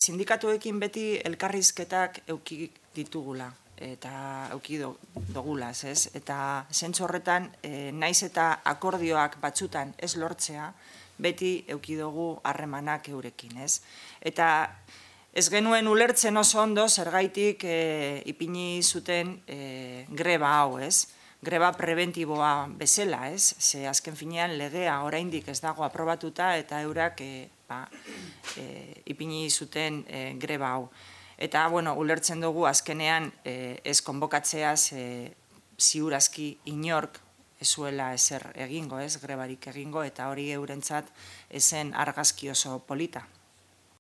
Sindikatuekin beti elkarrizketak euki ditugula eta euki dogulaz, ez? Eta zentzu horretan, naiz eta akordioak batzutan ez lortzea, beti euki dugu harremanak eurekin, ez? Eta ez genuen ulertzen oso ondo zergaitik ipini zuten greba hau, ez? Greba preventiboa bezala, ez? Ze azken finean legea oraindik ez dago aprobatuta eta eurak ipini zuten greba hau. Eta, bueno, ulertzen dugu azkenean ez konbokatzeaz ziurazki inork ezuela ezer egingo, ez? Grebarik egingo, eta hori eurentzat ezen argazki oso polita.